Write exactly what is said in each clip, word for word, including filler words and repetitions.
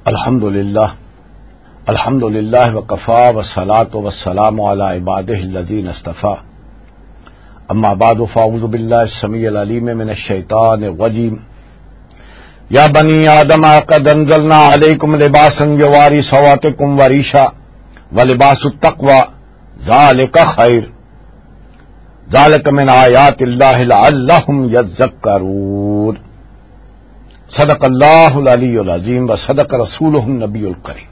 الحمد لله. الحمد لله وكفى والصلاة والسلام على عباده الذين اصطفى. أما بعد فأعوذ بالله السميع العليم من الشيطان الرجيم. يا بني آدم قد أنزلنا عليكم لباسا يواري سوآتكم وريشا ولباس التقوى ذلك خير. ذلك من آيات الله لعلهم يذكرون. صدق اللہ العلی العظیم و صدق رسولہ النبی الکریم.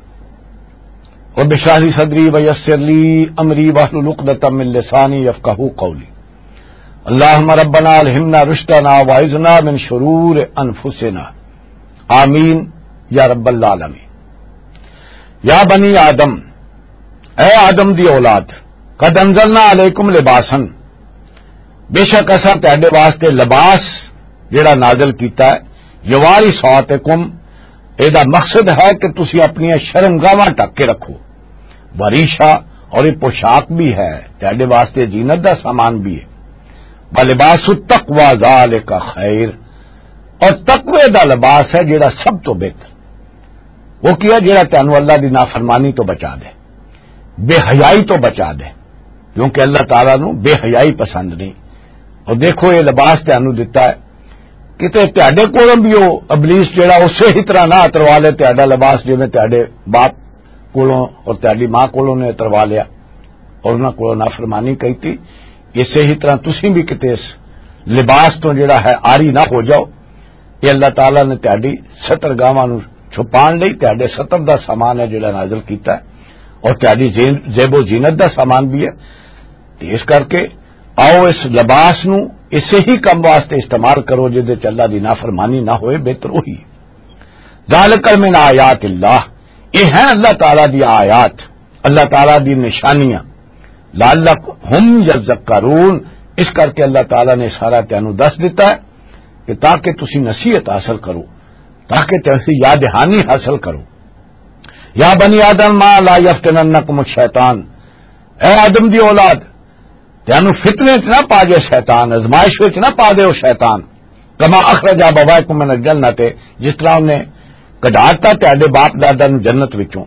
رب اشرح لی صدری و یسر لی امری واحلل عقدۃ من لسانی یفقہوا قولی. اللہم ربنا الہمنا رشدنا واعذنا من شرور انفسنا. آمین یا رب العالمین. یا بنی آدم، اے آدم دی اولاد، قد انزلنا علیکم لباسا، بے شک اساں تہاڈے واسطے لباس جڑا نازل کیتا ہے، یواری سواتکم، اے دا مقصد ہے کہ تسی اپنی شرمگاہاں ڈھک کے رکھو۔ وریشا، اور یہ پوشاک بھی ہے، تہاڈے واسطے زینت دا سامان بھی ہے۔ ولباس التقوی ذالک خیر، اور تقوی دا لباس ہے جڑا سب تو بہتر۔ وہ کیا؟ جڑا تانوں اللہ دی نافرمانی تو بچا دے، بے حیائی تو بچا دے، کیونکہ اللہ تعالیٰ نو بے حیائی پسند نہیں۔ اور دیکھو، یہ لباس تانوں دتا ہے، کتے تہاڈے کولوں بھی وہ ابلیس جڑا اسی ہی طرح نہ اتروا لے تہاڈا لباس، جویں تہاڈے باپ کولوں اور تہاڈی ماں کولوں نے اتروا لیا اور انہاں کولوں نافرمانی کیتی، اسی ہی طرح تسی بھی کتے اس لباس تو جڑا ہے عاری نہ ہو جاؤ۔ یہ اللہ تعالیٰ نے تہاڈی ستر گاواں نو چھپان لئی تہاڈے ستر دا سامان ہے جڑا نازل کیتا ہے، اور تہاڈی زین-، زیب و زینت دا سامان بھی ہے۔ تے اس کر کے آؤ، اس لباس نو اسے ہی کم واسطے استعمال کرو جس دے چ اللہ دی نافرمانی نہ ہوئے، بہتر وہی۔ ذالک من آیات اللہ، یہ ہیں اللہ تعالیٰ دی آیات، اللہ تعالیٰ دی نشانیاں۔ لعلہم یذکرون، اس کر کے اللہ تعالیٰ نے سارا تینوں دس دیتا ہے کہ تاکہ تسی نصیحت حاصل کرو، تاکہ تسی یاد دہانی حاصل کرو۔ یا بنی آدم ما لا یفتننکم الشیطان، اے آدم دی اولاد، تینوں فتنے وچ نہ پا دے شیطان، ازمائش وچ نہ پا دے او شیطان۔ کما اخرج ابویکم من الجنت، جس طرح انہیں کڈاتا تہاڈے باپ دادا نوں جنت وچوں۔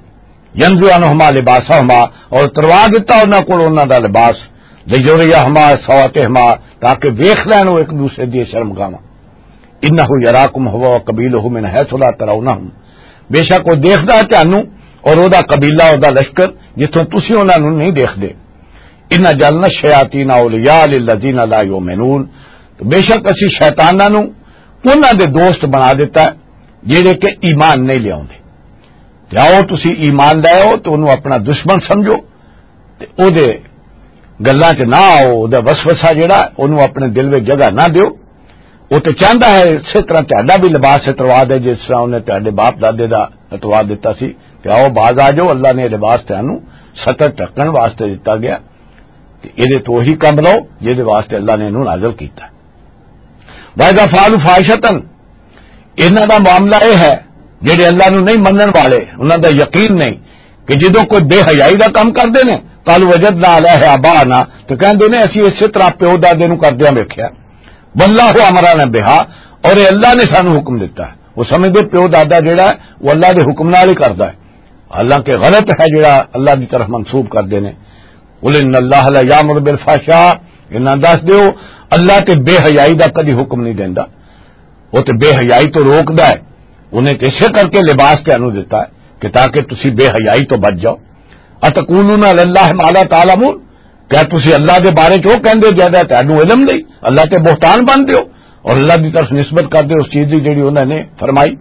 ینزع عنہما لباسہما، اور تروا دتا انہاں کول انہاں دا لباس۔ لیریہما سوآتہما، تاکہ ویکھ لین او ایک دوسرے دی شرمگاہاں۔ انہ یراکم ہوا و قبیلہ من حیث لا ترونہم، بے شک وہ دیکھدا ہے تانوں اور او دا قبیلہ، او دا لشکر، جتھوں تسی انہاں نوں نہیں دیکھدے۔ ان جعلنا الشیاطین اولیاء للذین لا یؤمنون، تو بے شک اسی شیطاناں نوں انہاں دے دوست بنا دیتا ہے جڑے کہ ایمان نہیں لیاوندے۔ تے آؤ تسی ایمان لے آؤ تے انہوں اپنا دشمن سمجھو، تے او دے گلاں چ نہ آؤ، او دا وسوسہ جڑا ہے، اونوں اپنے دل وچ جگہ نہ دیو۔ او تے چاہندا ہے اسے طرح تہاڈا بھی لباس اتروا دے، جس طرح انہیں تہاڈے باپ دادے دا اتروا دتا سی۔ تے آؤ، باز آ جاؤ، اللہ نے لباس تہانوں ستر ڈھکن واسطے دتا گیا۔ تے ایدے تو وہی کم لو جہدے واسطے اللہ نے انہوں نازل کیتا۔ وَإِذَا فَعَلُوا فَاحِشَةً، انہاں دا معاملہ یہ ہے، جڑے اللہ نو نہیں منن والے، انہاں دا یقین نہیں، کہ جدوں کوئی بے حیائی دا کم کردے نے، قالوا وجدنا علیہ آباءنا، تو کہندے نے، "اسی اسے طرح پیو دادے نو کردیاں ویکھیا، واللہ امرنا بہا، اور یہ اللہ نے سانو حکم دیتا ہے۔" وہ سمجھدے پیو دادا جڑا ہے، وہ اللہ دے حکم نال ہی کردا ہے، حالانکہ غلط ہے جڑا اللہ دی طرف منسوب کردے نے۔ قل ان اللہ لا یامر بالفحشاء، انہاں دس دیو، اللہ تے بے حیائی دا کدی حکم نہیں دیندا۔ وہ تے بے حیائی تو روکدا ہے۔ انہیں تے اسے کر کے لباس تانوں دتا ہے کہ تاکہ تسی بے حیائی تو بچ جاؤ۔ اتقولون علی اللہ ما لا تعلمون، کیا تسی اللہ دے بارے چ وہ کہندے جیدا تانوں علم نہیں؟ اللہ تے بہتان بن دیو اور اللہ دی طرف نسبت کر دیو اس چیز دی جڑی انہوں نے فرمائی۔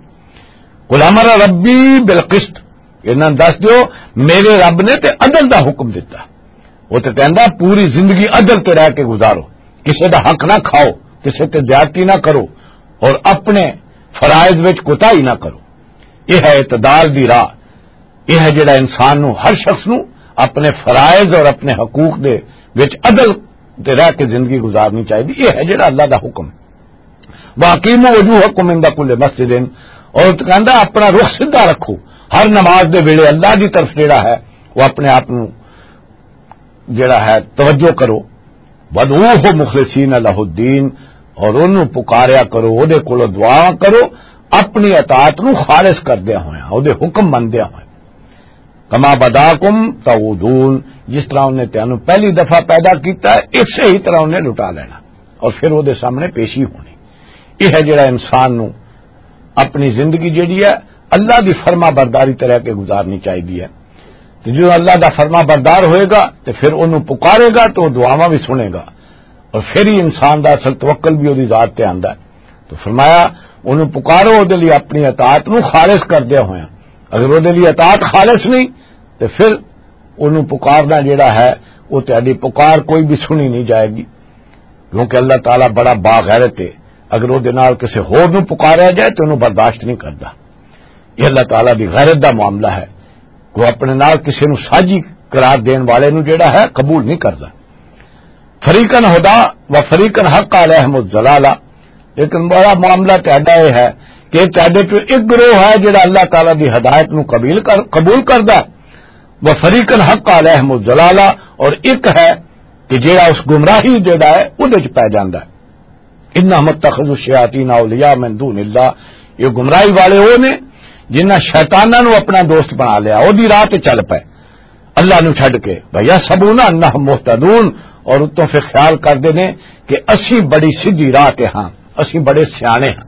قل امر ربی بالقسط، انہاں دس دیو، میرے رب نے تے عدل دا حکم دتا۔ وہ تے کہندا، پوری زندگی عدل تے رہ کے گزارو، کسے دا حق نہ کھاؤ، کسے تے زیادتی نہ کرو اور اپنے فرائض وچ کوتاہی نہ کرو۔ یہ ہے اعتدال دی راہ۔ یہ ہے جڑا انسان نو، ہر شخص نو اپنے فرائض اور اپنے حقوق دے وچ عدل تے رہ کے زندگی گزارنی چاہیے۔ یہ ہے جڑا اللہ دا حکم ہے۔ وَأَقِيمُوا وُجُوهَكُمْ عِندَ كُلِّ مَسْجِدٍ، اور کہندا اپنا رخ سیدھا رکھو ہر نماز دے ویلے اللہ دی طرف جڑا ہے وہ اپنے آپ نو جڑا ہے توجہ کرو۔ وَادْعُوهُ مُخْلِصِينَ لَهُ الدِّينَ، اور انہوں پکاریا کرو، او دے کولوں دعا کرو، اپنی اطاعت نو خالص کردیا ہویا، او دے حکم مندیا ہویا۔ کما بداکم تعودون، جس طرح انہیں تینوں پہلی دفعہ پیدا کیتا ہے، اسی ہی طرح انہیں لٹا لینا اور پھر او دے سامنے پیشی ہونی۔ یہ ہے جڑا انسان نو اپنی زندگی جڑی ہے، اللہ دی فرما برداری طرح کے گزارنی چاہیے ہے۔ تو جو اللہ دا فرما بردار ہوئے گا تو پھر انہوں پکارے گا تو وہ دعاواں بھی سنے گا، اور پھر ہی انسان دا اصل توکل بھی وہدی ذات تے آندا ہے۔ تو فرمایا، انہوں پکارو، وہ دے لئی اپنی اطاعت نو خالص کردیا ہویا۔ اگر وہ دے لئی اطاعت خالص نہیں، تو پھر انہوں پکارنا جڑا ہے، وہ تہاڈی پکار کوئی بھی سنی نہیں جائے گی، کیونکہ اللہ تعالیٰ بڑا باغیرت ہے۔ اگر وہ دے نال کسی ہور نو پکاریا جائے تو انہوں برداشت نہیں کردا۔ یہ اللہ تعالیٰ دی غیرت دا معاملہ ہے۔ کوئی اپنے نال کسی نو ساجی قرار دین والے نو جڑا ہے قبول نہیں کردا۔ فریقن ہدا و فریقن حق علیہم الضلالہ۔ لیکن بڑا معاملہ تہاڈا یہ ہے کہ تہاڈے چوں ایک گروہ ہے جڑا اللہ تعالیٰ دی ہدایت نو قبیل کر، قبول کردا ہے، و فریقن حق علیہم الضلالہ، اور ایک ہے کہ جڑا اس گمراہی جڑا ہے اودے چ پے جاندا ہے۔ انہم اتخذوا الشیاطین اولیاء من دون اللہ، یہ گمراہی والے وہ نے جنہاں شیطاناں نو اپنا دوست بنا لیا، او دی راہ تے چل پے اللہ نو چھڈ کے۔ وَيَحْسَبُونَ أَنَّهُمْ مُهْتَدُونَ، اور اتوں پھر خیال کردے نے کہ اسی بڑی سیدھی راہ تے ہاں، اسی بڑے سیانے ہاں۔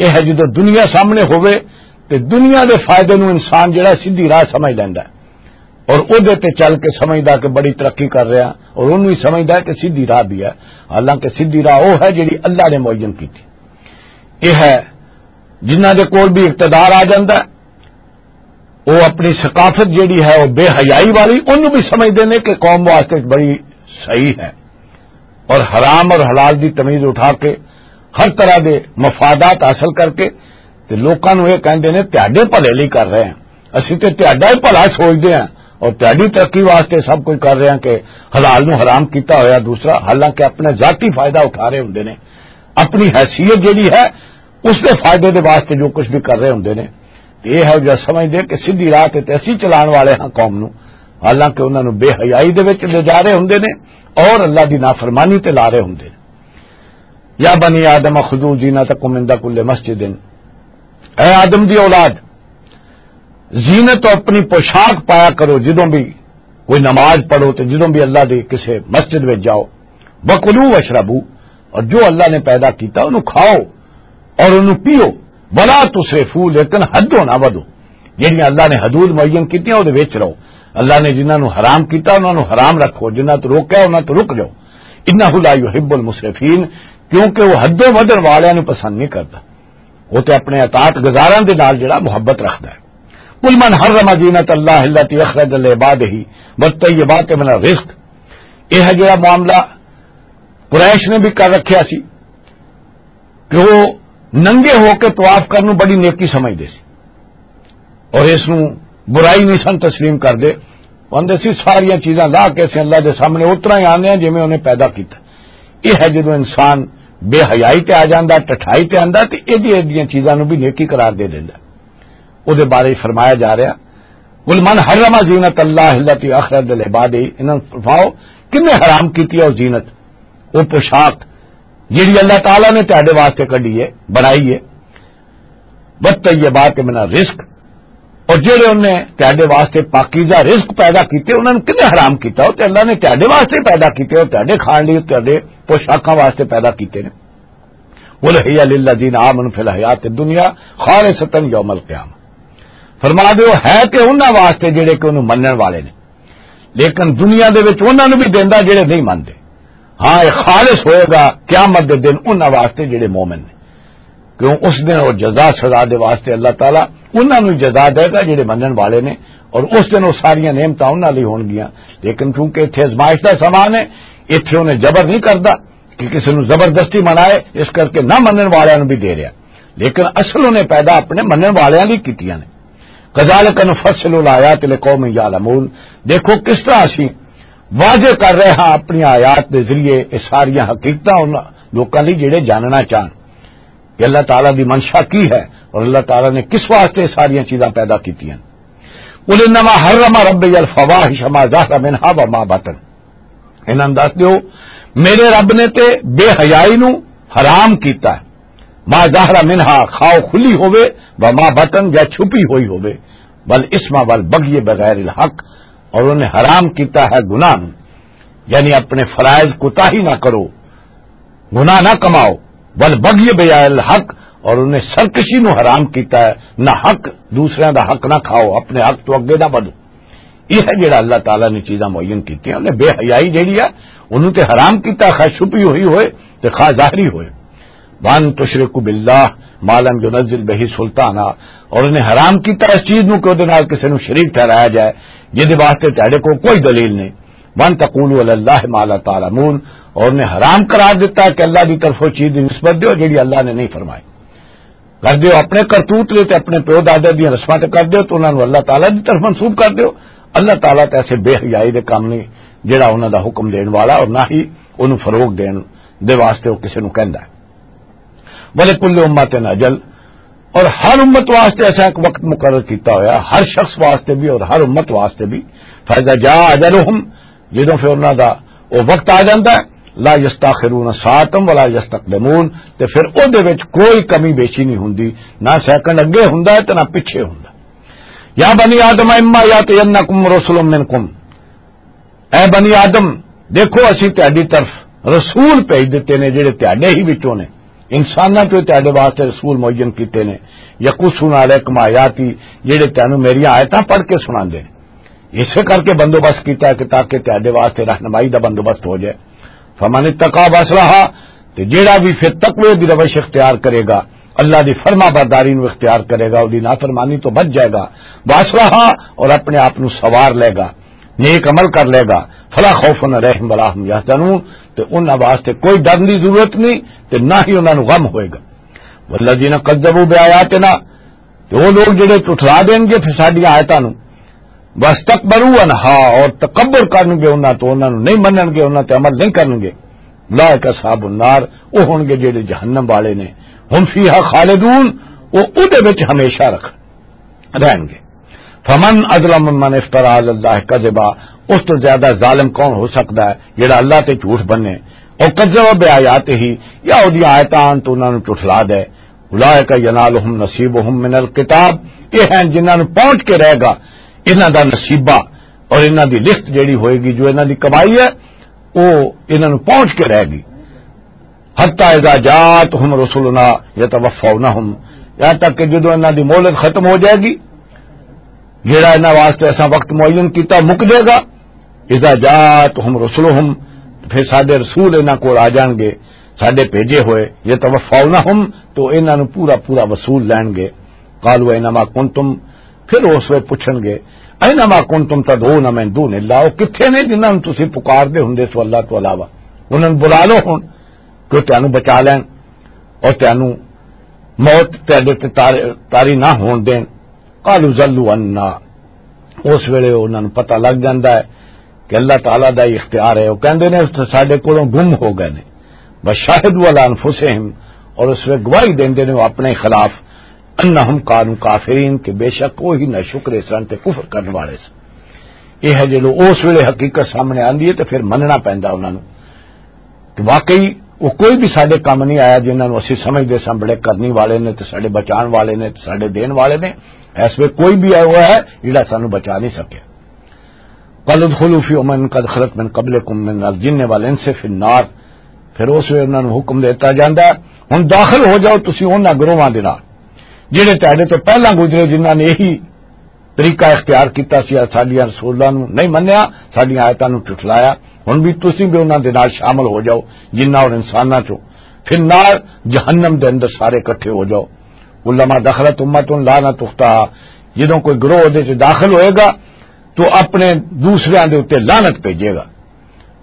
یہ ہے جدوں دنیا سامنے ہوئے تے دنیا دے فائدے نو انسان جڑا سیدھی راہ سمجھ لیندا ہے اور اودے تے چل کے سمجھدا کہ بڑی ترقی کر رہا، اور اونوں ہی سمجھدا ہے کہ سیدھی راہ بھی ہے، حالانکہ سیدھی راہ وہ ہے جڑی اللہ نے معین کیتی۔ یہ ہے جنہاں دے کول بھی اقتدار آ جاندا ہے، وہ اپنی ثقافت جڑی ہے وہ بے حیائی والی، انہوں بھی سمجھدے نے کہ قوم واسطے بڑی صحیح ہے، اور حرام اور حلال دی تمیز اٹھا کے ہر طرح دے مفادات حاصل کر کے تے لوکاں نوں یہ کہندے نے تہاڈے بھلے لئی کر رہے ہیں، اسی تے تہاڈا ہی بھلا سوچدے ہیں اور تہاڈی ترقی واسطے سب کچھ کر رہے ہیں کہ حلال نوں حرام کیتا ہویا دوسرا، حالانکہ اپنے ذاتی فائدہ اٹھا رہے ہوندے نے، اپنی حیثیت جڑی ہے اس دے فائدے دے واسطے جو کچھ بھی کر رہے ہوندے نے۔ تے یہ ہے جو سمجھدے کہ سیدھی راہ تے اسی چلان والے ہاں قوم نوں، حالانکہ انہاں نوں بے حیائی دے وچ لے جا رہے ہوندے نے اور اللہ دی نافرمانی تے لا رہے ہوندے نے۔ یا بنی آدم خذوا زینتکم عند کل مسجد، اے آدم دی اولاد، زینت و اپنی پوشاک پایا کرو جدوں بھی کوئی نماز پڑھو تے جدوں بھی اللہ دی کسے مسجد وچ جاؤ۔ وکلوا واشربوا، اور جو اللہ نے پیدا کیتا انہوں کھاؤ اور انہوں پیو۔ ولا تسرفوا، لیکن حدوں نہ ودو۔ جڑیاں اللہ نے حدود معین کیتیاں، او دے وچ رہو۔ اللہ نے جنہاں نوں حرام کیتا، انہاں نوں حرام رکھو، جنہاں تو روکیا، انہاں تو رک جاؤ۔ انہ لا یحب المسرفین، کیونکہ وہ حدوں ودن والیاں نوں پسند نہیں کردا۔ وہ تے اپنے اطاعت گزاراں دے نال جڑا محبت رکھدا ہے۔ قل من حرم زینت اللہ التی اخرج لعبادہ والطیبات من الرزق۔ یہ ہے جڑا معاملہ قریش نے بھی کر رکھیا سی کہ وہ ننگے ہو کے طواف کرن نوں بڑی نیکی سمجھدے سی اور اس نوں برائی نہیں سن تسلیم کردے۔ وہ آندے سی ساریاں چیزاں لا کے اسیں اللہ دے سامنے اترا ہی آنے ہیں جویں انہیں پیدا کیتا۔ یہ ہے جدوں انسان بے حیائی تے آ جاندا، ٹٹھائی تے آندا تے ایڈی ایڈیاں چیزاں نوں بھی نیکی قرار دے دیندا۔ او دے بارے فرمایا جا رہا، قل من حرم زینت اللہ التی اخرج لعبادہ، انہاں نوں فرماؤ کنے حرام کیتی ہے او زینت، او پوشاک جڑی اللہ تعالیٰ نے تہاڈے واسطے کڈی ہے، بنائی ہے، والطیبات من الرزق، اور جڑے انہیں تہاڈے واسطے پاکیزہ رزق پیدا کیتے، انہاں نوں کنے حرام کیتا؟ او تے اللہ نے تہاڈے واسطے پیدا کیتے، او تہاڈے کھان لئی، تہاڈے پوشاکاں واسطے پیدا کیتے نے۔ قل ہی للذین آمنوا فی الحیات الدنیا خالصتا یوم القیامہ۔ فرما دیو، ہے کہ انہاں واسطے جڑے کہ انہوں منن والے نے، لیکن دنیا دے وچ انہاں نوں بھی دیندا جڑے نہیں مندے۔ ہاں، یہ خالص ہوئے گا قیامت دے دن انہاں واسطے جڑے مومن نے، کیوں اس دن وہ جزا سزا دے واسطے اللہ تعالیٰ انہاں نوں جزا دے گا جڑے منن والے نے، اور اس دن وہ ساریاں نعمتاں انہاں لئی ہونگیاں۔ لیکن کیونکہ اتھے ازمائش دا سامان ہے، اتھے انہیں جبر نہیں کردا کہ کسی نوں زبردستی منائے، اس کر کے نہ منن والے نوں بھی دے رہا، لیکن اصل انہیں پیدا اپنے منن والے لئی کیتیاں نے۔ کذالک نفصل الآیات لقوم یعلمون، دیکھو کس طرح اسی واضح کر رہے ہاں اپنی آیات دے ذریعے یہ ساریاں حقیقتاں ان لوکاں لئی جڑے جاننا چاہن کہ اللہ تعالیٰ دی منشا کی ہے اور اللہ تعالیٰ نے کس واسطے یہ ساریاں چیزاں پیدا کیتیاں۔ قل انما حرم ربی الفواحش ما ظهر منها وما بطن، انہاں نوں دس دیو، میرے رب نے تے بے حیائی نو حرام کیتا ہے، ما ظہر منہا، خواہ کھلی ہوئے، و ما بطن، یا چھپی ہوئی ہوئے، والاسم والبغی بغیر الحق، اور انہیں حرام کیتا ہے گناہ نو، یعنی اپنے فرائض کوتاہی نہ کرو، گناہ نہ کماؤ، والبغی بغیر الحق، اور انہیں سرکشی نو حرام کیتا ہے، نہ حق، دوسرے دا حق نہ کھاؤ، اپنے حق تو اگے نہ بڑھو۔ یہ ہے جڑا اللہ تعالیٰ نے چیزاں معین کیتیاں۔ انہیں بے حیائی جڑی ہے، انہوں تے حرام کیتا، خواہ چھپی ہوئی ہوئے تے خواہ ظاہری ہوئے۔ وَأَن تُشْرِكُوا بِاللَّهِ مَا لَمْ يُنَزِّلْ بِهِ سُلْطَانًا، اور انہیں حرام کیتا اس چیز نو کہ اودے نال کسے نو شریک ٹھہرایا جائے، جس دے واسطے تہاڈے کول کوئی دلیل نہیں۔ وَأَن تَقُولُوا عَلَى اللَّهِ مَا لَا تَعْلَمُونَ، اور انہیں حرام قرار دیتا کہ اللہ دی طرفوں چیز دی نسبت دیو جڑی اللہ نے نہیں فرمائی۔ کر دیو اپنے کرتوت لے تے اپنے پیو دادے دیاں رسماں تے کر دیو، تو انہاں نوں اللہ تعالیٰ دی طرف منسوب کر دیو۔ اللہ تعالیٰ تے ایسے بے حیائی دے کام نہیں جڑا انہاں دا حکم دین والا، اور نہ ہی انہوں فروغ دین دے واسطے وہ کسے نوں کہندا ہے۔ وَلِكُلِّ أُمَّةٍ أَجَلٌ، اور ہر امت واسطے ایسا ایک وقت مقرر کیتا ہویا، ہر شخص واسطے بھی اور ہر امت واسطے بھی۔ فَإِذَا جَاءَ أَجَلُهُمْ، جدوں پھر انہاں دا او وقت آ جاندا ہے، لا یستاخرون ساعتا ولا یستقدمون، تے پھر او دے وچ کوئی کمی بیشی نہیں ہوندی، نہ سیکنڈ اگے ہوندا ہے تے نہ پیچھے ہوندا۔ یا بنی آدم اما یاتینکم رسل منکم، اے بنی آدم، دیکھو اسی تہاڈی طرف رسول بھیج دتے نے جڑے تہاڈے ہی وچوں نے، انساناں چوں تہاڈے واسطے رسول معین کیتے نے، یقصون علیکم آیاتی، جڑے تینوں میریاں آیتاں پڑھ کے سناندے نے۔ اسے کر کے بندوبست کیتا ہے کہ تاکہ تہاڈے واسطے رہنمائی دا بندوبست ہو جائے۔ فمن اتقا واصلح، تے جیڑا بھی پھر تقوی دی روش اختیار کرے گا، اللہ دی فرما برداری نو اختیار کرے گا، اودی نافرمانی تو بچ جائے گا، واصلح، اور اپنے آپ نو سوار لے گا، نیک عمل کر لے گا، فلا خوف علیہم ولا هم یحزنون، تے انہاں واسطے کوئی ڈر دی ضرورت نہیں تے نہ ہی انہاں نو غم ہوئے گا۔ والذین کذبوا بآیاتنا، تے وہ لوگ جڑے جھٹلا دین گے پھر ساڈیاں آیتاں نوں، واستکبروا عنہا، اور تکبر کرن گے انہاں تو، انہاں نوں نہیں منن گے، انہاں تے عمل نہیں کرن گے، اولئک اصحاب النار، وہ ہون گے جڑے جہنم والے نے، هم فیہا خالدون، وہ اودے وچ ہمیشہ رکھ رہن گے۔ فمن اظلم ممن افترى على الله كذبا، اس تو زیادہ ظالم کون ہو سکتا ہے جڑا اللہ تے جھوٹ بنے، او کذب بآیاتہ، یا اودی آیتاں تو انہاں نوں جھٹلا دے۔ اولئک ینالہم نصیبہم من الکتاب، یہ ہیں جنہاں نوں پہنچ کے رہے گا انہاں دا نصیبہ، اور انہاں دی لکھت جڑی ہوئے گی، جو انہاں دی کمائی ہے، وہ انہاں نوں پہنچ کے رہے گی۔ حتی اذا جاءتہم رسلنا یتوفونہم، یہاں تک کہ جدوں انہاں دی مہلت ختم ہو جائے گی، جڑا انہاں واسطے اساں وقت معین کیتا مک جائے گا۔ اذا جاءتہم رسلہم، پھر ساڈے رسول انہاں کول آ جان گے، ساڈے بھیجے ہوئے، یتوفونہم، تو انہاں نوں پورا پورا وصول لین گے۔ قالوا اینما کنتم، پھر اس وقت پوچھن گے، اینما کنتم تدعون من دون اللہ، وہ کتھے نے جنہاں نوں تسی پکار دے ہوندے سو اللہ تو علاوہ؟ انہاں نوں بلا لو ہن کہ تانوں بچا لین اور تانوں موت تہاڈے تے تاری، تاری نہ ہون دین۔ قالوا ضلوا عنا، اس ویلے انہاں نوں پتہ لگ جاندا ہے کہ اللہ تعالیٰ دا ہی اختیار ہے۔ وہ کہندے نے، "اس ساڈے کولوں گم ہو گئے نے۔" وشہدوا علی انفسہم، اور اس ویلے گواہی دیندے نے وہ اپنے خلاف، انہم کانوا کافرین، کہ بے شک وہی ناشکر سن تے کفر کرن والے سن۔ یہ ہے جدوں اس ویلے حقیقت سامنے آندی ہے تے پھر مننا پیندا انہاں نوں۔ کہ واقعی وہ کوئی بھی ساڈے کم نہیں آیا، جنہاں نوں اسی سمجھدے ساں بڑے کرنی والے نے تے ساڈے بچان والے نے تے ساڈے دین والے نے۔ اس ویلے کوئی بھی آیا ہوا ہے جڑا سانوں بچا نہیں سکیا۔ قل ادخلوا فی امم قد خلت من قبلکم من الجن والانس فی النار۔ پھر اس ویلے انہاں نوں حکم دیتا جاندا ہے، "ہن داخل ہو جاؤ تسی انہاں گروہاں دے نال جڑے تہاڈے تو پہلاں گزرے، جنہاں نے یہی طریقہ اختیار کیتا سی، ساڈیاں رسولاں نوں نہیں منیا، ساڈیاں آیتاں نوں جھٹلایا۔ ہن بھی تسی بھی انہاں دے نال شامل ہو جاؤ، جنہاں اور انساناں چوں۔ فی النار، جہنم دے اندر سارے اکٹھے ہو جاؤ۔ کلما دخلت امۃ لعنت اختہا، جدوں کوئی گروہ دے وچ داخل ہوئے گا تو اپنے دوسریاں دے اُتے لعنت بھیجے گا۔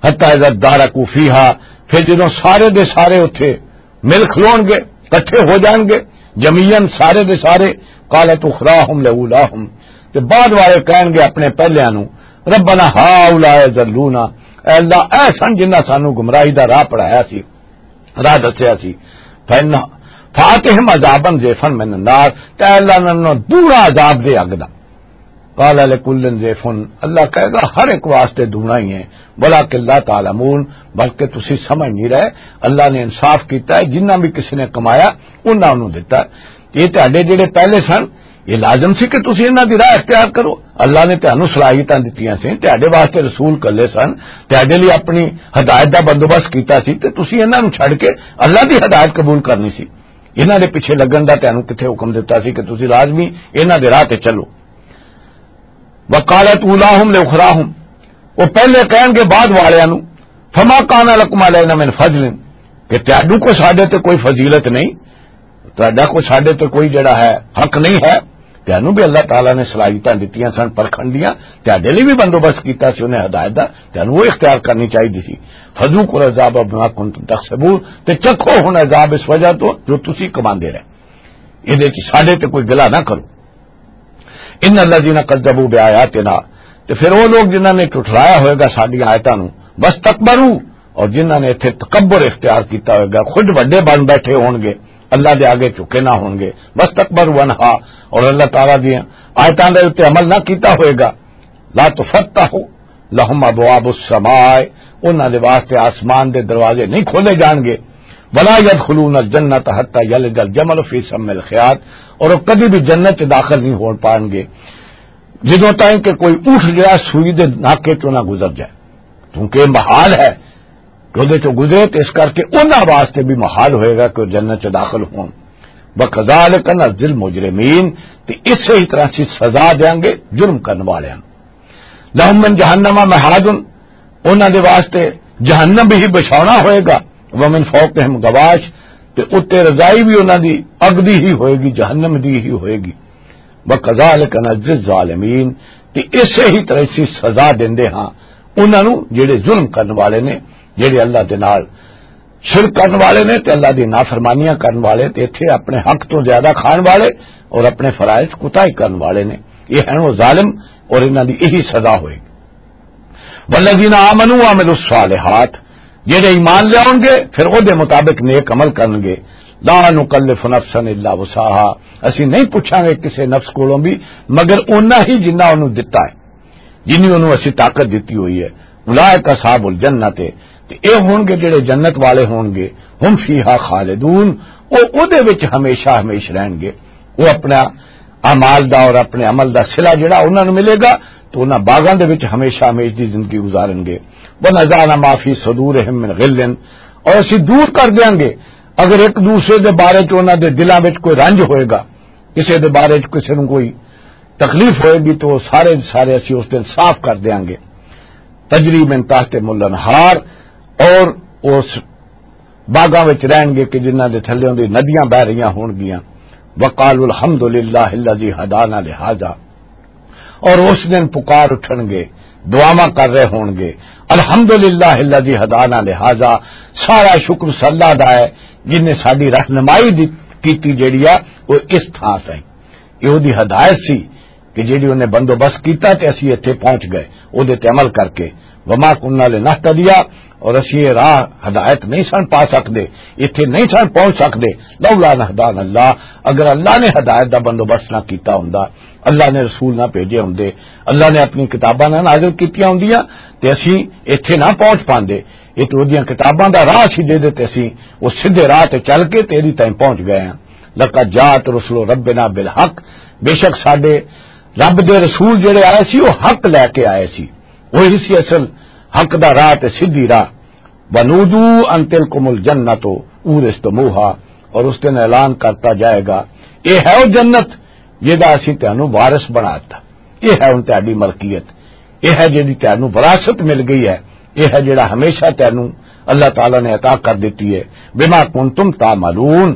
حتی اذا ادارکوا فیہا، پھر جدوں سارے دے سارے اُتے مل کھلون گے، اکٹھے ہو جان گے، جمیعاً سارے دے سارے، قالت اخراہم لاولاہم، تے بعد والے کہن گے اپنے پہلیاں نوں، ربنا ہاؤلاء ضلونا، اے اللہ، اے سن جنہاں سانوں گمراہی دا راہ پڑھایا سی، راہ دسیا سی، فإن، فآتہم عذابا ضعفا من النار، تے اے اللہ انہاں نوں دورا عذاب دے اگ دا۔ قال لکل ضعف، اللہ کہے گا ہر ایک واسطے دونا ہی ہے، ولیکن لا تعلمون، بلکہ تسی سمجھ نہیں رہے۔ اللہ نے انصاف کیتا ہے، جنہ بھی کسی نے کمایا، انہاں انہوں دیتا ہے۔ یہ تہاڈے جڑے پہلے سن، یہ لازم سی کہ تسی انہاں دی راہ اختیار کرو۔ اللہ نے تہانوں صلاحیتاں دتیاں سی، تہاڈے واسطے رسول کلے سن، تہاڈے لئی اپنی ہدایت دا بندوبست کیتا سی، تے تسی انہاں نوں چھڈ کے اللہ دی ہدایت قبول کرنی سی۔ انہاں دے پیچھے لگن دا تہانوں کتھے حکم دتا سی کہ تسی لازمی انہاں دے راہ تے چلو؟ وقالت اولاہم لاخراہم، وہ پہلے کہن گے بعد والیاں نوں، فما کان لکم علینا من فضل، کہ تہانوں کو ساڈے تے کوئی فضیلت نہیں، تہاڈا کوئی ساڈے تے کوئی جڑا ہے حق نہیں ہے۔ تہانوں بھی اللہ تعالیٰ نے صلاحیتاں دتیاں سن پرکھن دیاں، تہاڈے لئی بھی بندوبست کیتا سی انہیں ہدایت دا، تہانوں وہ اختیار کرنی چاہیے سی۔ فذوقوا العذاب بما کنتم تکسبون، تے چکھو ہن عذاب اس وجہ تو جو تسی کماندے رہے۔ یہ دے چ ساڈے تے کوئی گلا نہ کرو۔ ان الذین کذبوا بآیاتنا، تے پھر وہ لوگ جنہاں نے جھٹلایا ہوئے گا ساڈیاں آیتاں نوں، واستکبروا، اور جنہاں نے ایتھے تکبر اختیار کیتا ہوئے گا، خود وڈے بن بیٹھے ہون گے، اللہ دے آگے جھکے نہ ہون گے، واستکبروا عنہا، اور اللہ تعالیٰ دی آیتاں دے اُتے عمل نہ کیتا ہوئے گا، لا تفتح لہم ابواب السماء، انہاں دے واسطے آسمان دے دروازے نہیں کھولے جان گے، ولا یدخلون الجنت حتی یلج الجمل فی سم الخیاط، اور وہ کدی بھی جنت چ داخل نہیں ہون پان گے جدوں تائیں کہ کوئی اونٹ جڑا سوئی دے ناکے چوں نہ گزر جائے، کیونکہ یہ محال ہے کہ اودے چوں گزرے، تے اس کر کے انہاں واسطے بھی محال ہوئے گا کہ وہ جنت چ داخل ہون۔ وَكَذَلِكَ نَجْزِي الْمُجْرِمِينَ، تے اسے ہی طرح سے سزا دیاں گے جرم کرن والیاں نوں۔ لَهُم مِّن جَهَنَّمَ مِهَادٌ، انہاں دے واسطے جہنم ہی بچھاونا ہوئے گا، وَمِن فَوْقِهِمْ غَوَاشٍ، تے اُتے رضائی بھی انہاں دی اگ دی ہی ہوئے گی، جہنم دی ہی ہوئے گی۔ وَكَذَلِكَ نَجْزِي الظَّالِمِينَ، تے اسے ہی طرح اسی سزا دیندے ہاں انہاں نوں جڑے ظلم کرن والے نے، جڑے اللہ دے نال شرک کرن والے نے تے اللہ دی نافرمانیاں کرن والے تے ایتھے اپنے حق تو زیادہ کھان والے اور اپنے فرائض کوتاہی کرن والے نے۔ یہ ہیں وہ ظالم اور انہاں دی یہی سزا ہوئے گی۔ والذین آمنوا وعملوا الصالحات، جڑے ایمان لے آؤن گے پھر او دے مطابق نیک عمل کرن گے، لا نکلف نفسا الا وسعها، اسی نہیں پوچھاں گے کسے نفس کولوں بھی مگر اونا ہی جنہ اونوں دتا ہے، جنی اونوں اسی طاقت دتی ہوئی ہے۔ اولئک اصحاب الجنت، تے اے ہون گے جڑے جنت والے ہون گے، هم فیها خالدون، او او دے وچ ہمیشہ ہمیش رہن گے۔ وہ اپنا اعمال دا اور اپنے عمل دا صلہ جڑا انہاں نوں ملے گا، تو انہاں باغاں دے وچ ہمیشہ ہمیش دی زندگی گزارن گے۔ وَنَزَعْنَا مَا فِي صُدُورِهِم مِّن غِلٍّ، اور اسی دور کر دیاں گے اگر ایک دوسرے دے بارے چ انہاں دے دلاں وچ کوئی رنج ہوئے گا، کسے دے بارے چ کسے نوں کوئی تکلیف ہوئے گی تو وہ سارے دے سارے اسی اس دن صاف کر دیاں گے۔ تجری من تحت مل انہار، اور اس باغاں وچ رہن گے کہ جنہاں دے تھلیوں دی ندیاں بہ رہیاں ہون گیاں۔ وقالوا الحمد للہ الذی ہدانا لہذا، اور اس دن پکار اٹھن گے، دعاواں کر رہے ہون گے، الحمد للہ الذی ہدانا لہذا، سارا شکر اس اللہ دا ہے جن نے ساڈی رہنمائی دی کیتی جیڑی آ وہ اس تھاں تائیں۔ یہ اودی ہدایت سی کہ جیڑی انہیں بندوبست کیتا تے اسی ایتھے پہنچ گئے، اودے تے عمل کر کے۔ وما کننا لنہتدی، اور اسی یہ راہ ہدایت نہیں سن پا سکدے، ایتھے نہیں سن پہنچ سکدے، لولا ان ہدانا اللہ، اگر اللہ نے ہدایت دا بندوبست نہ کیتا ہوندا، اللہ نے رسول نہ بھیجے ہوندے، اللہ نے اپنی کتاباں نہ نازل کیتیاں ہوندیاں تے اسی ایتھے نہ پہنچ پاندے۔ یہ تو اودیاں کتاباں دا راہ سی جے دے تے اسی وہ سیدھے راہ تے چل کے تے ایدی تائیں پہنچ گئے ہیں۔ لقد جاءت رسل ربنا بالحق، بے شک ساڈے رب دے رسول جڑے آئے سی وہ حق لے کے آئے سی، وہی سی اصل حق دا راہ تے سیدھی راہ۔ ونودوا ان تلکم الجنت اورثتموها، اور اس دن اعلان کرتا جائے گا، یہ ہے وہ جنت جہدا اسی تینوں وارث بنا دتا، یہ ہے ہن تہاڈی ملکیت، یہ ہے جہڑی تینوں وراثت مل گئی ہے، یہ ہے جہڑا ہمیشہ تینوں اللہ تعالیٰ نے عطا کر دیتی ہے۔ بما کنتم تعملون،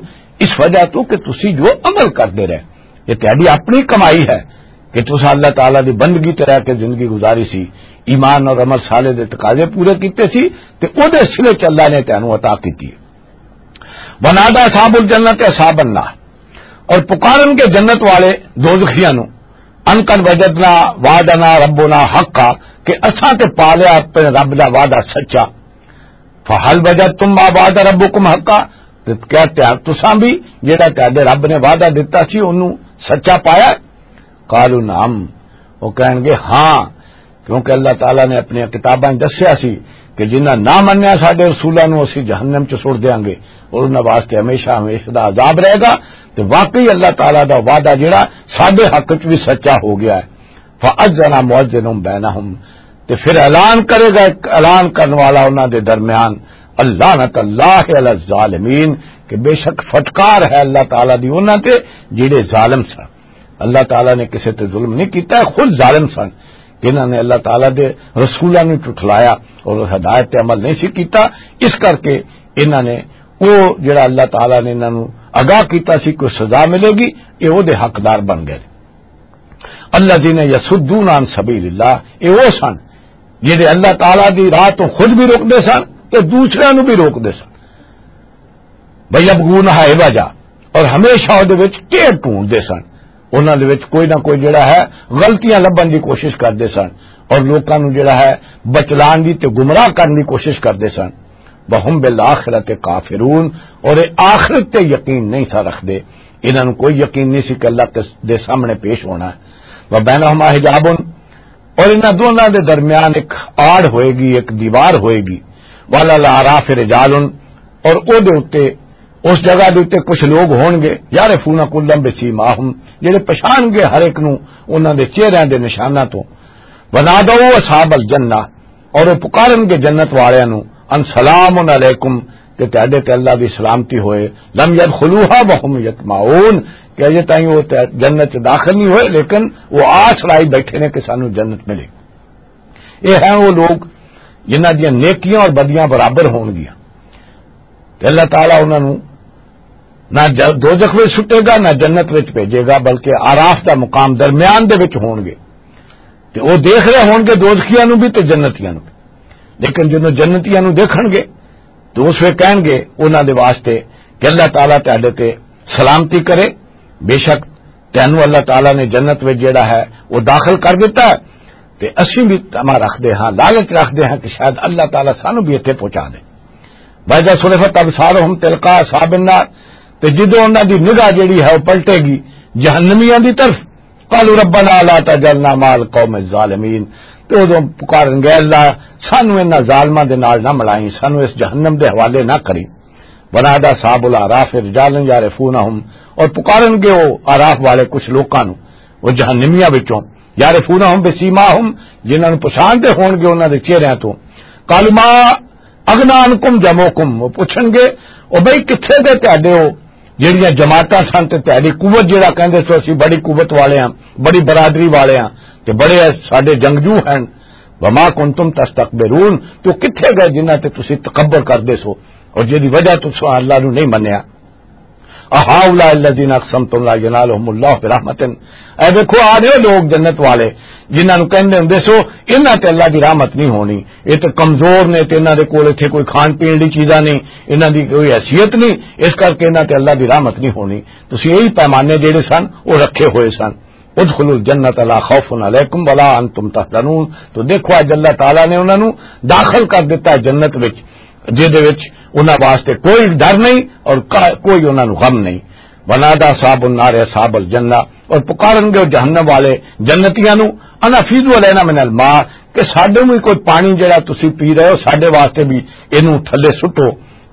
اس وجہ تو کہ تسی جو عمل کردے رہے، یہ تہاڈی اپنی کمائی ہے کہ تساں اللہ تعالیٰ دی بندگی تے رہ کے زندگی گزاری سی، ایمان اور عمل صالح دے تقاضے پورے کیتے سی، تے او دے صلے چ اللہ نے تینوں عطا کیتی ہے۔ ونادى اصحاب الجنت اصحاب النار، اور پکارن کے جنت والے دوزخیاں نو، ان قد وجدنا وعدنا ربنا حقا، کہ اساں تے پا لیا اپنے رب دا وعدہ سچا۔ فہل وجدتم ما وعد ربکم حقا، تے کیا تیار تساں بھی جڑا تہاڈے رب نے وعدہ دتا سی اونوں سچا پایا؟ قالوا نعم، وہ کہن گے، ہاں، کیونکہ اللہ تعالیٰ نے اپنی کتاباں 'چ دسیا سی کہ جنہاں نہ منیا ساڈے رسولاں نوں، اسی جہنم 'چ سٹ دیاں گے اور انہاں واسطے ہمیشہ ہمیشہ دا عذاب رہے گا۔ تے واقعی اللہ تعالیٰ دا وعدہ جڑا ساڈے حق 'چ بھی سچا ہو گیا ہے۔ فَأَذَّنَ مُؤَذِّنٌ بَيْنَهُمْ، تے پھر اعلان کرے گا ایک اعلان کرن والا انہاں دے درمیان، اللعنۃ اللہ علی الظالمین، کہ بے شک پھٹکار ہے اللہ تعالیٰ دی انہاں تے جڑے ظالم سن۔ اللہ تعالیٰ نے کسے تے ظلم نہیں کیتا، خود ظالم سن، جنہاں نے اللہ تعالیٰ دے رسولاں نوں جھٹلایا اور ہدایت تے عمل نہیں سی کیتا۔ اس کر کے انہاں نے، او جڑا اللہ تعالیٰ نے انہاں نوں آگاہ کیتا سی کوئی سزا ملے گی، اے او دے حقدار بن گئے۔ الذین یصدون عن سبیل اللہ، اے او سن جڑے اللہ تعالیٰ دی راہ تو خود بھی روکدے سن تے دوسرے نوں بھی روکدے سن۔ وَيَبْغُونَهَا عِوَجًا، اور ہمیشہ او دے وچ ٹیڑھ ڈھونڈدے سن، انہاں دے وچ کوئی نہ کوئی جڑا ہے غلطیاں لبھن دی کوشش کردے سن، اور لوکاں نوں جڑا ہے بچلان دی تے گمراہ کرن دی کوشش کردے سن۔ وَهُمْ بِالْآخِرَةِ كَافِرُونَ، اور اے آخرت تے یقین نہیں سا رکھدے، انہاں نوں کوئی یقین نہیں سی کہ اللہ کس دے سامنے پیش ہونا ہے۔ وَبَيْنَهُمَا حِجَابٌ، اور انہاں دونوں دے درمیان ایک آڑ ہوئے گی، ایک دیوار ہوئے گی۔ وَعَلَى الْأَعْرَافِ رِجَالٌ، اور او دے اُتے، اس جگہ دے اُتے کچھ لوگ ہون گے، يَعْرِفُونَ كُلًّا بِسِيمَاهُمْ، جڑے پہچان گے ہر ایک نوں انہاں دے چہریاں دے نشاناں تو۔ وَنَادَوْا أَصْحَابَ الْجَنَّةِ، اور وہ پکارن گے جنت والیاں نوں، ان سلام علیکم، کہ تہاڈے تے اللہ دی سلامتی ہوئے، لم يدخلوها وهم يطمعون، کہ اجے تائیں وہ تے جنت چ داخل نہیں ہوئے، لیکن وہ آس لائی بیٹھے نے کہ سانو جنت ملے۔ یہ ہیں وہ لوگ جنہاں دیاں نیکیاں اور بدیاں برابر ہون گیاں، تے اللہ تعالیٰ انہاں نوں نہ ج-، دوزخ وچ سٹے گا، نہ جنت وچ بھیجے گا، بلکہ آراف دا مقام درمیان دے وچ ہون گے۔ تے او دیکھ رہے ہون گے دوزخیاں نوں بھی تے جنتیاں نوں بھی۔ لیکن جدوں جنتیاں نوں دیکھن گے تو اس ویلے کہن گے انہاں دے واسطے کہ اللہ تعالیٰ تہاڈے تے سلامتی کرے، بے شک تینوں اللہ تعالیٰ نے جنت وچ جڑا ہے وہ داخل کر دیتا ہے۔ تے اسی بھی تما رکھدے ہاں، لالچ رکھدے ہاں کہ شاید اللہ تعالیٰ سانو بھی اتھے پہنچا دے۔ وَإِذَا صُرِفَتْ أَبْصَارُهُمْ تِلْقَاءَ أَصْحَابِ النَّارِ، تے جدوں انہاں دی نگاہ جڑی ہے وہ پلٹے گی جہنمیاں دی طرف، قَالُوا رَبَّنَا لَا تَجْعَلْنَا مَعَ الْقَوْمِ الظَّالِمِينَ، تے اودوں پکارن گے، اللہ، سانو انہاں ظالماں دے نال نہ ملائیں، سانو اس جہنم دے حوالے نہ کریں۔ وَنَادَىٰ أَصْحَابُ الْأَعْرَافِ رِجَالًا يَعْرِفُونَهُمْ، اور پکارن گے وہ آراف والے کچھ لوکاں نوں، وہ جہنمیاں وچوں، يَعْرِفُونَهُمْ بِسِيمَاهُمْ، جنہاں نوں پہچاندے ہون گے انہاں دے چہریاں تو۔ قَالُوا مَا أَغْنَىٰ عَنْكُمْ جَمْعُكُمْ، وہ پوچھن گے، او بھائی کتھے گئے تہاڈے وہ جڑیاں جماعتاں سن تے تہاڈی قوت، جڑا کہندے سو اسی بڑی قوت والے ہاں، بڑی برادری والے ہاں، تے بڑے ساڈے جنگجو ہیں۔ وَمَا كُنْتُمْ تَسْتَكْبِرُونَ، تو کتھے گئے جنہاں تے تسی تکبر کردے سو اور جدی وجہ تو سو اللہ نو نہیں منیا۔ أَهَٰؤُلَاءِ الَّذِينَ أَقْسَمْتُمْ لَا يَنَالُهُمُ اللَّهُ بِرَحْمَةٍ، اے ویکھو آ رہے ہو لوگ جنت والے جنہاں نو کہندے ہوندے سو انہاں تے اللہ دی رحمت نہیں ہونی، یہ تے کمزور نے، تے انہاں دے کول اتھے کوئی کھان پین دی چیزاں نہیں، انہاں دی کوئی حیثیت نہیں، اس کر کے انہاں تے اللہ دی رحمت نہیں ہونی۔ تسی یہی پیمانے جڑے سن وہ رکھے ہوئے سن۔ ادخلوا الجنة لا خوف عليكم ولا أنتم تحزنون۔ تو دیکھو، اج اللہ تعالیٰ نے انہاں نوں داخل کر دتا ہے جنت وچ، جدے وچ انہاں واسطے کوئی ڈر نہیں اور کا-، کوئی انہاں نوں غم نہیں۔ ونادى أصحاب النار أصحاب الجنة، اور پکارن گے جہنم والے جنتیاں نوں، أن أفيضوا علينا من الماء، کہ ساڈے نوں بھی کوئی پانی جڑا تسی پی رہے ہو، ساڈے واسطے بھی اینوں تھلے سٹو۔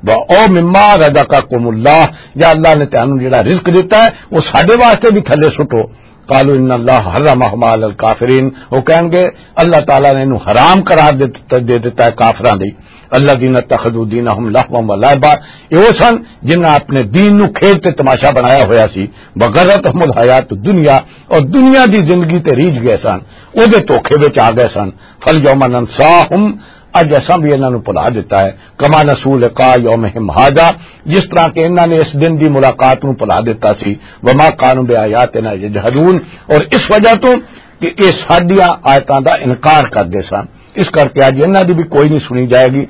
و او مما رزقکم اللہ، یا اللہ نے تانوں جڑا رزق دیتا ہے، وہ ساڈے واسطے بھی تھلے سٹو۔ قالوا ان اللہ حرمہما علی الکافرین، وہ کہیں گے اللہ تعالیٰ نے انہوں حرام قرار دے، دے دیتا ہے کافراں دی۔ الذین اتخذوا دینہم لہوا و لعبا، یہ وہ سن جنہاں اپنے دین نو کھیل تے تماشا بنایا ہویا سی۔ وغرتہم الحیات الدنیا، اور دنیا دی زندگی تے ریجھ گئے سن، او دے دھوکے وچ آ گئے سن۔ فالیوم ننساہم، اج اساں بھی انہاں نوں بھلا دتا ہے، کما نسوا لقاء یومہم ھذا، جس طرح کہ انہاں نے اس دن دی ملاقات نوں بھلا دتا سی، وما کانوا بآیاتنا یجحدون، اور اس وجہ تو کہ یہ ساڈیاں آیتاں دا انکار کردے سن، اس کر کے اج انہاں دی بھی کوئی نہیں سنی جائے گی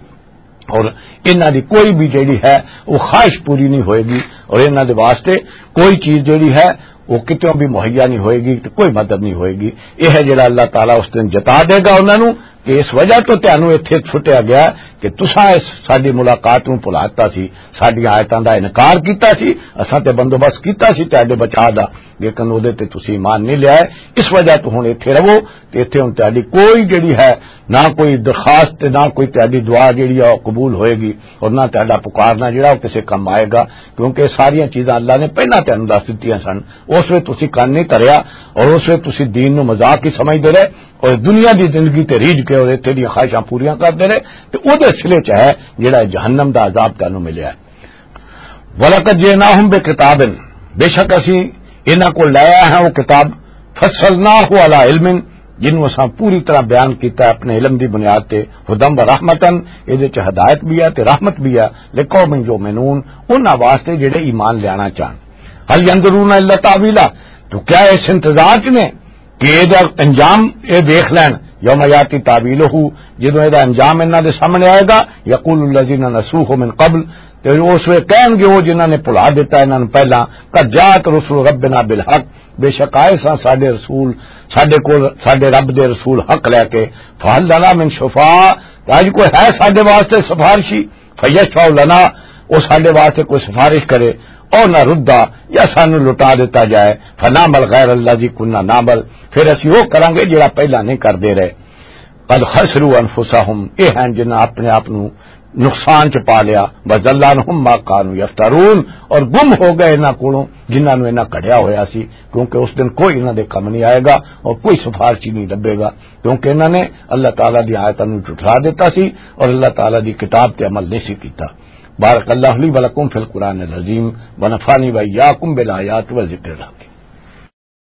اور انہاں دی کوئی بھی جیڑی ہے وہ خواہش پوری نہیں ہوئے گی اور انہاں دے واسطے کوئی چیز جیڑی ہے وہ کتوں بھی مہیا نہیں ہوئے گی تے کوئی مدد نہیں ہوئے گی۔ یہ ہے جڑا اللہ تعالیٰ اس دن جتا دے گا انہاں نوں۔ کہ اس وجہ تو تانوں اتھے چھٹیا گیا کہ تساں اس ساڈی ملاقات نوں بھلا دتا سی، ساڈیاں آیتاں دا انکار کیتا سی، اساں تے بندوبست کیتا سی تہاڈے بچاء دا، لیکن اودے تے تسی ایمان نہیں لیا ہے۔ اس وجہ تو ہن اتھے رہو، تے اتھے ہن تہاڈی کوئی جڑی ہے، نہ کوئی درخواست تے نہ کوئی تہاڈی دعا جڑی ہے، او قبول ہوئے گی، اور نہ تہاڈا پکارنا جڑا، او کسے کم آئے گا، کیونکہ ساریاں چیزاں اللہ نے پہلاں تانوں دس دتیاں سن۔ اس ویلے تسی کن نہیں دھریا، اور اس ویلے تسی دین نوں مذاق ہی سمجھدے رہے، اور دنیا دی زندگی تے ریجھ کے اور اتھے دیاں خواہشاں پوریاں کردے رہے، تے اودے صلے چ ہے جڑا جہنم دا عذاب تانوں ملیا ہے۔ وَلَقَدْ جِئْنَاهُمْ بِكِتَابٍ، بے شک اسی انہاں کول لے آئے ہاں وہ کتاب، فَصَّلْنَاهُ عَلَىٰ عِلْمٍ، جنوں اساں پوری طرح بیان کیتا ہے اپنے علم دی بنیاد تے، هُدًى وَرَحْمَةً، اے دے چ ہدایت بھی ہے تے رحمت بھی ہے، لِقَوْمٍ يُؤْمِنُونَ، انہاں واسطے جڑے ایمان لیانا چاہن۔ هَلْ يَنظُرُونَ إِلَّا تَأْوِيلَهُ، تو کیا اس انتظار چ نے کہ اے دا انجام اے دیکھ لین؟ يَوْمَ يَأْتِي تَأْوِيلُهُ، جدوں اے دا انجام انہاں دے سامنے آئے گا، يَقُولُ الَّذِينَ نَسُوهُ مِنْ قَبْلُ، تے اس ویلے کہن گے وہ جنہاں نے بھلا دیتا انہاں نوں پہلاں، قَدْ جَاءَتْ رُسُلُ رَبِّنَا بِالْحَقِّ، بے شک آئے ساں ساڈے رسول، ساڈے کول ساڈے رب دے رسول حق لے کے، فَهَلْ لَنَا مِنْ شُفَعَاءَ، تے اج کوئی ہے ساڈے واسطے سفارشی؟ فَيَشْفَعُوا لَنَا، وہ ساڈے واسطے کوئی سفارش کرے، أَوْ نَرُدَّ، یا سانو لٹا دیتا جائے، فَنَعْمَلَ غَيْرَ الَّذِي كُنَّا نَعْمَلُ، پھر اسی وہ کراں گے جڑا پہلا نہیں کردے رہے۔ قَدْ خَسِرُوا أَنفُسَهُمْ، یہ ہیں جنہاں اپنے آپ نو نقصان چ پا لیا، وَضَلَّ عَنْهُمْ مَا كَانُوا يَفْتَرُونَ، اور گم ہو گئے انہاں کولوں جنہاں نو انہاں کڑیا ہویا سی، کیونکہ اس دن کوئی انہاں دے کم نہیں آئے گا اور کوئی سفارشی نہیں لبے گا۔ کیونکہ انہاں نے اللہ تعالیٰ دی آیتاں نوں جھٹلا دتا سی اور اللہ تعالیٰ دی کتاب تے عمل نہیں سی کیتا۔ بارک اللہ لی ولکم فی القرآن العظیم، ونفعنی وإیاکم بالآیات والذکر الحکیم۔